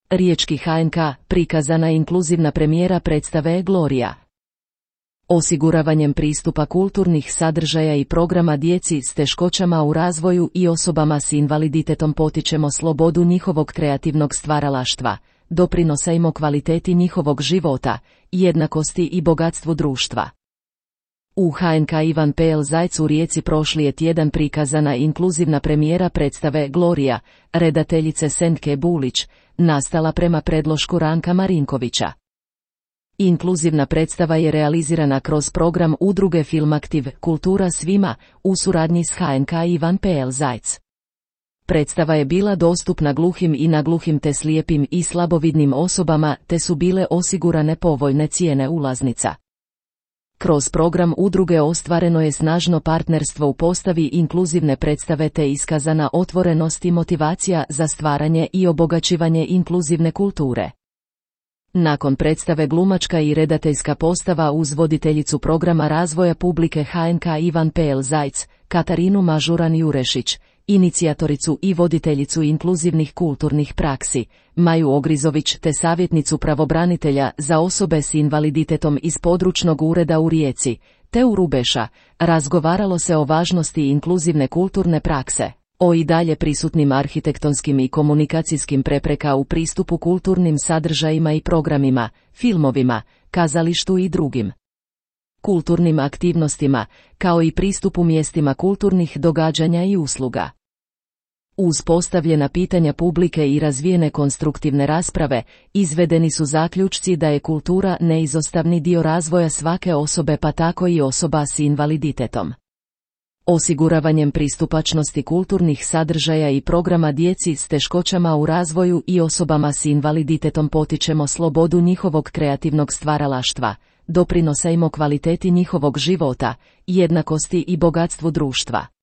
Riječki HNK, prikazana inkluzivna premijera predstave Gloria. Osiguravanjem pristupa kulturnih sadržaja i programa djeci s teškoćama u razvoju i osobama s invaliditetom potičemo slobodu njihovog kreativnog stvaralaštva, doprinosimo kvaliteti njihovog života, jednakosti i bogatstvu društva. U HNK Ivan P.L. Zajc u Rijeci prošli je tjedan prikazana inkluzivna premijera predstave Gloria, redateljice Sentke Bulić, nastala prema predlošku Ranka Marinkovića. Inkluzivna predstava je realizirana kroz program udruge Filmaktiv Kultura svima u suradnji s HNK Ivan P.L. Zajc. Predstava je bila dostupna gluhim i nagluhim te slijepim i slabovidnim osobama te su bile osigurane povoljne cijene ulaznica. Kroz program udruge ostvareno je snažno partnerstvo u postavi inkluzivne predstave te iskazana otvorenost i motivacija za stvaranje i obogaćivanje inkluzivne kulture. Nakon predstave glumačka i redateljska postava uz voditeljicu programa razvoja publike HNK Ivan P.L. Zajc, Katarinu Mažuran-Jurešić, inicijatoricu i voditeljicu inkluzivnih kulturnih praksi, Maju Ogrizović te savjetnicu pravobranitelja za osobe s invaliditetom iz područnog ureda u Rijeci, Teu Rubeša, razgovaralo se o važnosti inkluzivne kulturne prakse, o i dalje prisutnim arhitektonskim i komunikacijskim prepreka u pristupu kulturnim sadržajima i programima, filmovima, kazalištu i drugim kulturnim aktivnostima, kao i pristupu mjestima kulturnih događanja i usluga. Uz postavljena pitanja publike i razvijene konstruktivne rasprave, izvedeni su zaključci da je kultura neizostavni dio razvoja svake osobe pa tako i osoba s invaliditetom. Osiguravanjem pristupačnosti kulturnih sadržaja i programa djeci s teškoćama u razvoju i osobama s invaliditetom potičemo slobodu njihovog kreativnog stvaralaštva, doprinosimo kvaliteti njihovog života, jednakosti i bogatstvu društva.